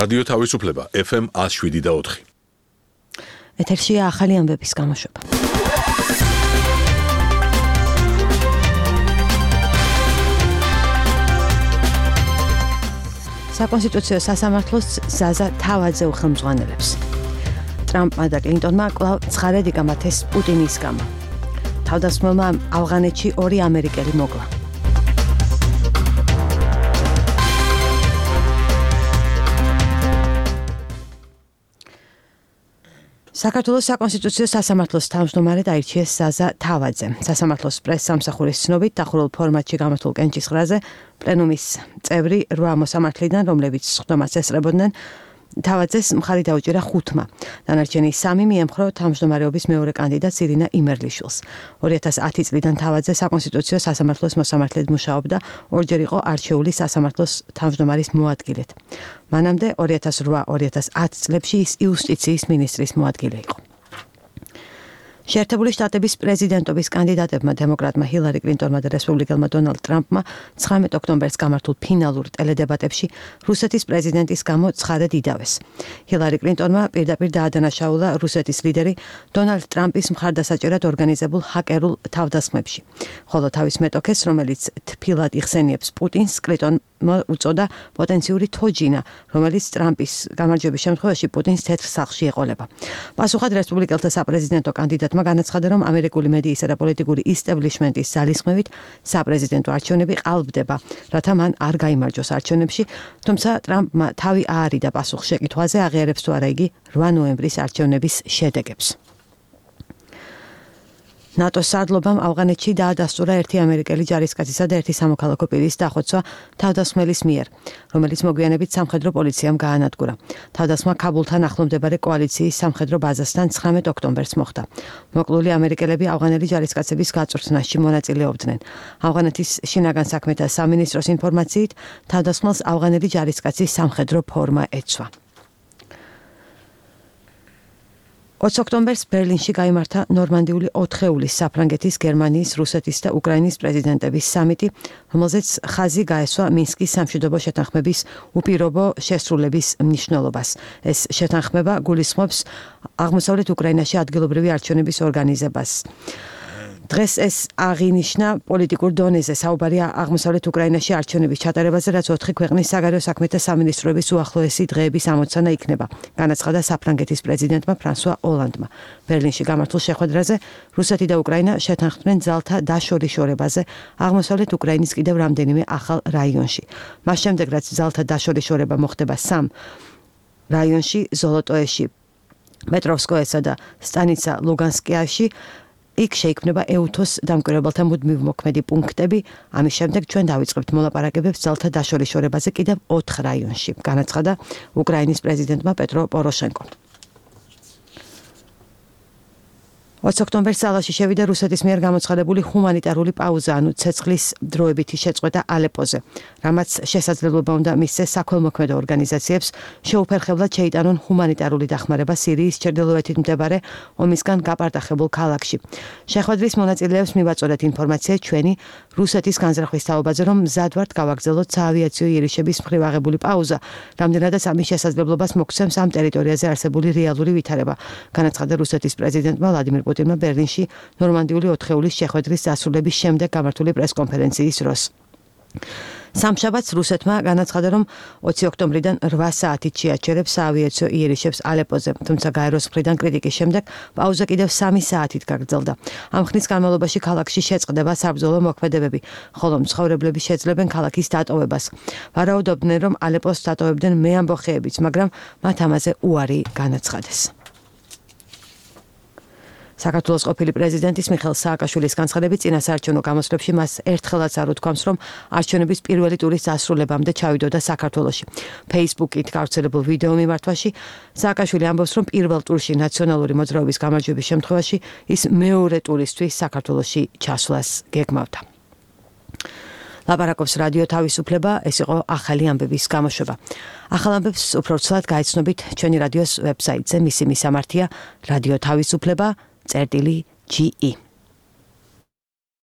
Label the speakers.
Speaker 1: რადიო თავისუფლება FM 107.4.
Speaker 2: ეთერშია ახალი ამბების გამოშვება. საკონსტიტუციო სასამართლოს ზაზა თავაძე უხელმძღვანელებს. ტრამპმა და კლინტონმა კვლავ ცხარედ იგამათეს პუტინის გამო. თავდასხმელმა ავღანეთში 2 ამერიკელი მოკლა. საქართველოს საკონსტიტუციო სასამართლოს თავმჯდომარედ აირჩიეს ზაზა თავაძე. სასამართლოს პრესსამსახურის ცნობით დახურულ ფორმატში გამართულ კენჭისყრაზე პლენუმის წევრი 8 მოსამართლიდან, რომლებიც სხდომას ესწრებოდნენ, თავაძეს მხარი დაუჭირა 5-მა. დანარჩენი 3 მიემხრო თავმჯდომარეობის მეორე კანდიდატს ირინა იმერლიშვილს. 2010 წლიდან თავაძე საკონსტიტუციო სასამართლოს მოსამართლედ მუშაობდა, ორჯერ იყო არჩეული სასამართლოს თავმჯდომარის მოადგილედ. მანამდე 2008-2010 წლებში ის იუსტიციის მინისტრის მოადგილე იყო. შეერთებული შტატების პრეზიდენტობის კანდიდატებმა დემოკრატმა ჰილარი კლინტონმა და რესპუბლიკელმა დონალდ ტრამპმა 19 ოქტომბერს გამართულ ფინალურ ტელედებატებში რუსეთის პრეზიდენტის გამო ცხადად იდავეს. ჰილარი კლინტონმა პირდაპირ დაადანაშაულა რუსეთის ლიდერი დონალდ ტრამპის მხარდასაჭერად ორგანიზებულ ჰაკერულ თავდასხმებში. ხოლო თავის მეტოქეს, რომელიც თბილად იხსენიებს პუტინს, კლინტონმა უწოდა პოტენციური თოჯინა, რომელიც ტრამპის გამარჯვების შემთხვევაში პუტინს თეთრ სახლში ეყოლება. პასუხად რესპუბლიკელთა საპრეზიდენტო კანდიდატმა განაცხადა, რომ ამერიკული მედიისა და პოლიტიკური ისტაბლიშმენტის ძალისხმევით საპრეზიდენტო არჩევნები ყალბდება, რათა მან არ გაიმარჯვოს არჩევნებში, თუმცა ტრამპმა თავი აარიდა პასუხ შეკითხვაზე, აღიარებს თუ არა იგი 8 ნოემბრის არჩევნების შედეგებს. ნატოს სარდლობამ ავღანეთში დაადასტურა 1 ამერიკელი ჯარისკაცისა და 1 სამოქალაქო პირის დახოცვა თავდასხმელის მიერ, რომელიც მოგვიანებით სამხედრო პოლიციამ გაანადგურა. თავდასხმა ქაბულთან ახლომდებარე კოალიციის სამხედრო ბაზასთან 19 ოქტომბერს მოხდა. მოკლული ამერიკელები ავღანელი ჯარისკაცების გაწვრთნაში მონაწილეობდნენ. ავღანეთის შინაგან საქმეთა სამინისტროს ინფორმაციით, თავდასხმელს ავღანელი ჯარისკაცის სამხედრო ფორმა ეცვა. 20 ოქტომბერს ბერლინში გაიმართა ნორმანდიული 4-ეულის საფრანგეთის, გერმანიის, რუსეთის და უკრაინის პრეზიდენტების სამიტი, რომელზეც ხაზი გაესვა მინსკის სამშვიდობო შეთანხმების უპირობო შესრულების მნიშვნელობას. ეს შეთანხმება გულისხმობს აღმოსავლეთ უკრაინაში ადგილობრივი არჩევნების ორგანიზებას. დღეს ეს აღინიშნა პოლიტიკურ დონეზე, საუბარია აღმოსავლეთ უკრაინაში არჩევნების ჩატარებაზე, რაც 4 ქვეყნის საგარეო საქმეთა სამინისტროების უახლოესი დღეების ამოცანა იქნება, განაცხადა საფრანგეთის პრეზიდენტმა ფრანსუა ოლანდმა. ბერლინში გამართულ შეხვედრაზე რუსეთი და უკრაინა შეთანხმდნენ ძალთა დაშორიშორებაზე აღმოსავლეთ უკრაინის კიდევ რამდენიმე ახალ რაიონში. მას შემდეგ, რაც ძალთა დაშორიშორება მოხდება 3 რაიონში, ზოლოტოეში, პეტროვსკოესა და სტანიცა ლუგანსკიაში, იქ შეიქმნება ეუთოს დამკვირვებელთა მუდმივ მოქმედი პუნქტები. ამის შემდეგ ჩვენ დავიწყებთ მოლაპარაკებებს ძალთა დაშორიშორებაზე კიდევ 4 რაიონში, განაცხადა უკრაინის პრეზიდენტმა პეტრო პოროშენკომ. 20 ოქტომბერს ძალაში შევიდა რუსეთის მიერ გამოცხადებული ჰუმანიტარული პაუზა, ანუ ცეცხლის დროებითი შეწყვეტა ალეპოზე, რამაც შესაძლებლობა უნდა მისცეს საქველმოქმედო ორგანიზაციებს შეუფერხებლად შეიტანონ ჰუმანიტარული დახმარება სირიის ჩრდილოეთით მდებარე ომისგან გაპარტახებულ ქალაქში. შეხვედრის მონაწილეებს მივაწოდეთ ინფორმაცია ჩვენი რუსეთის განზრახვის თაობაზე, რომ მზად ვართ გავაგრძელოთ საავიაციო იერიშების მხრივ აღებული პაუზა, რამდენადაც ამის შესაძლებლობას მოგცემს ამ ტერიტორიაზე არსებული რეალური ვითარება, განაცხადა რუსეთის პრეზიდენტმა ვლადიმირ პუტინმა ბერლინში ნორმანდიული 4-ეულის შეხვედრის დასრულების შემდეგ გამართული პრესკონფერენციის დროს. სამშაბათს რუსეთმა განაცხადა, რომ 20 ოქტომბრიდან 8 საათით შეაჩერებს საავიაციო იერიშებს ალეპოზე, თუმცა გაეროს მხრიდან კრიტიკის შემდეგ პაუზა კიდევ 3 საათით გაგრძელდა. ამ ხნის განმავლობაში ქალაქში შეწყდება საბრძოლო მოქმედებები, ხოლო მცხოვრებლები შეძლებენ ქალაქის დატოვებას. ვარაუდობდნენ, რომ ალეპოს დატოვებდნენ მეამბოხეებიც, მაგრამ მათ ამაზე უარი განაცხადეს. საქართველოს ყოფილი პრეზიდენტის მიხეილ სააკაშვილის განცხადებით, წინასაარჩევნო გამოსვლებში მას ერთხელაც არ უთქვამს, რომ არჩევნების პირველი ტურის დასრულებამდე ჩავიდოდა საქართველოში. Facebook-ით გავრცელებულ ვიდეო მიმართვაში სააკაშვილი ამბობს, რომ პირველ ტურში ნაციონალური მოძრაობის გამარჯვების შემთხვევაში ის მეორე ტურისთვის საქართველოში ჩასვლას გეგმავდა. ლაპარაკობს რადიო თავისუფლება, ეს იყო ახალი ამბების გამოშვება. ახალ ამბებს უფრო ცუდად გაიცნობით ჩვენი რადიოს ვებსაიტზე, მისი მისამართია რადიო თავისუფლება წერტილი GE.